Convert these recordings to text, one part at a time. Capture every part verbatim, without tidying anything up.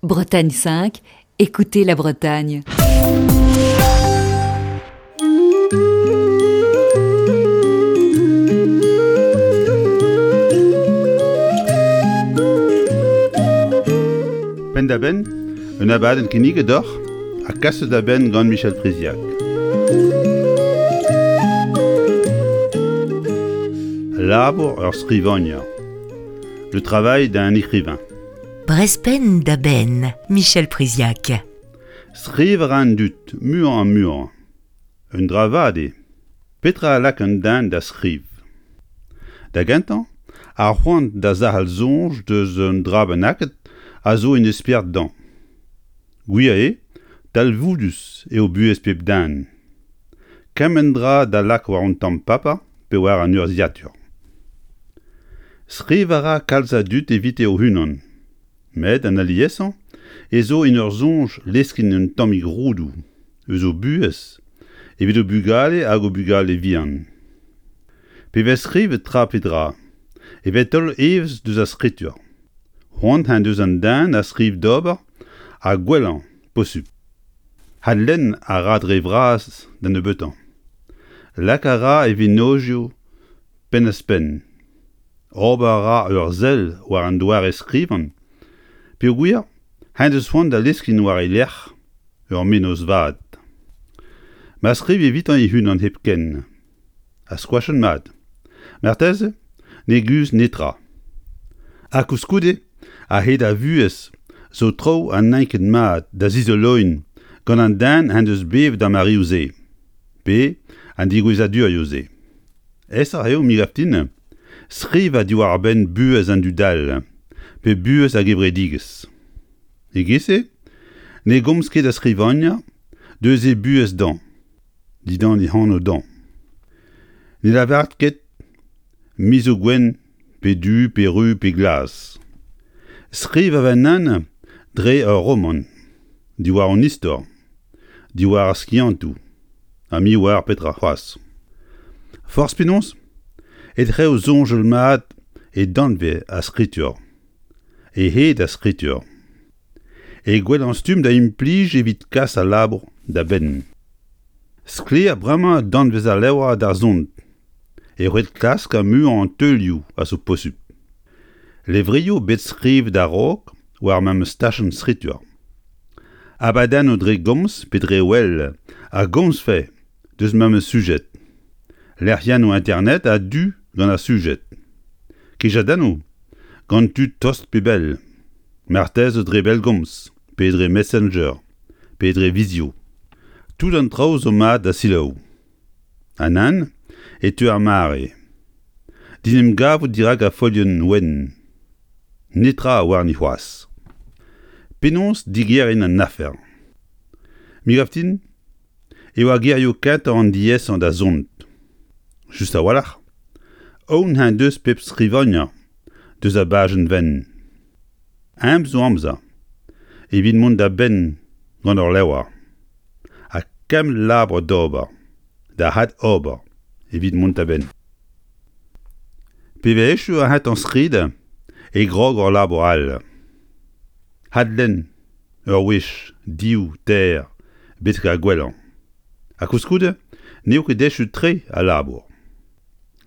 Bretagne cinq, écoutez la Bretagne. Penn-da-benn, un abadenn kinniget deoc'h ha kaset da benn gant Michel Priziac. Labour ur skrivagner. Le travail d'un écrivain. Brezh penn da benn, Michel Priziac. Skriv a ra an dud, muioc'h ha muioc'h. Un dra vat eo. Petra a lak un den da skriv? Da gentañ, ar c'hoant da zerc'hel soñj deus un dra bennaket a zo en e spered dezhañ. Gwir eo, talvoudus eo buhez pep den. Kement dra da lak war un tamm paper pe war an urzhiatur. Skriv a ra kalz a dud evite o-unan. Met an aliesañ ez zo en ur soñj leuskel un tammig roudoù eus o buhez evit o bugale hag o bugale-vihan. Pe vez skrivet tra pe dra, e vez taol evezh deus ar skritur. C'hoant en deus an den a skriv d'ober ar gwellañ posupl. Adlenn a ra dre vras da nebeutañ. Lak a ra e vennozioù penn-ouzh-penn. Ober a ra ur sell war an doare skrivañ peogwir en deus c'hoant da leuskel war e lerc'h ur mennozh vat. Ma skriv evitañ e-unan hepken, ha skoachet mat. Marteze ne guzh netra. Ha koulskoude, a-hed ar vuhez zo traoù ha n'int ket mat da zizoloiñ gant an den en deus bevet ar mareoù-se, pe an degouezhadurioù-se. Aesoc'h eo, me 'gav din, skrivañ diwar-benn buhez an dud all, pe buhez ar gevredigezh. E-giz-se ne gomz ket ar skrivagner deus e buhez dezhañ, dindan e anv dezhañ. Ne lavar ket me zo gwenn pe du pe ruz pe glas. Skriv a vennan dre ur romant, diwar an istor, diwar ar skiantoù, ha me oar petra c'hoazh. Forzh penaos, e ret eo soñjal mat e danvez ar skritur. E hed ar skritur. E gwellañ stumm da implij evit kas al labour da benn. Sklaer bremañ danvez al levr da zont. E ret klask ar muiañ an teulioù a zo posupl. Levrioù bet skrivet a-raok war memes tachenn skritur. Abadennoù dre gomz pe dre wel a gomzfe deus memes sujed. Lec'hiennoù internet a-du gant ar sujed. Kejadennoù gant tud tost pe bell. Marteze dre bellgomz, pe dre Messenger, pe dre vizio. Tout an traoù zo mat da selaou. Ha nann e teu ar mare. Din em gavout dirak ar folienn wenn. Netra warni c'hoazh. Penaos digeriñ an afer? Me 'gav din eo ar gerioù kentañ an diaesañ da zont. Just a-walc'h, aon en deus pep skrivagner deus ar bajenn wenn. Eñ zo amzer evit mont da benn gant ur levr. Ha kement labour d'ober, da ad-ober evit mont da benn. Pe vez echu ar c'hentañ skrid e krog ur labour all. Adlenn ur wech, div, teir, betek ar gwellañ. Ha koulskoude n'eo ket echu-tre al labour.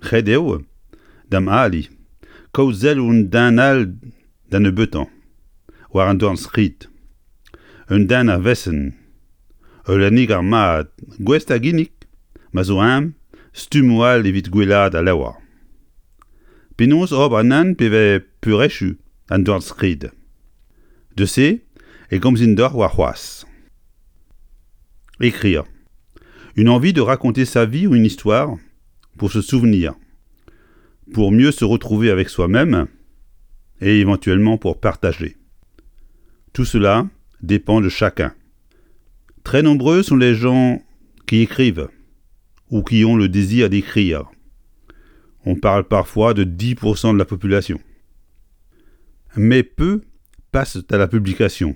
Ret eo, da'm ali, kaout selloù un den all da nebeutañ, war an dornskrid. Un den a vesenn, ul lenneger mat, gouest da ginnig, ma zo ezhomm, stummoù all evit gwellaat al levr. Penaos ober nann pe vez peurechu an dornskrid. Deus se e gomzin deoc'h warc'hoazh. Écrire. Une envie de raconter sa vie ou une histoire pour se souvenir, pour mieux se retrouver avec soi-même et éventuellement pour partager. Tout cela dépend de chacun. Très nombreux sont les gens qui écrivent ou qui ont le désir d'écrire. On parle parfois de dix pour cent de la population. Mais peu passent à la publication.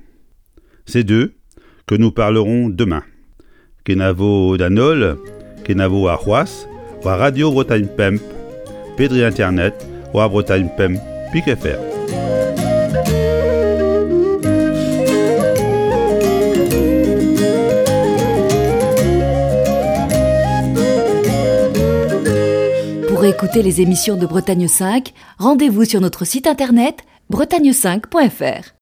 C'est d'eux que nous parlerons demain. Kenavo d'an holl, kenavo warc'hoazh, war Radio Bretagne Pemp, pe dre internet, war Bretagne Pemp, pik F R. écouter les émissions de Bretagne cinq, rendez-vous sur notre site internet bretagne cinq point F R.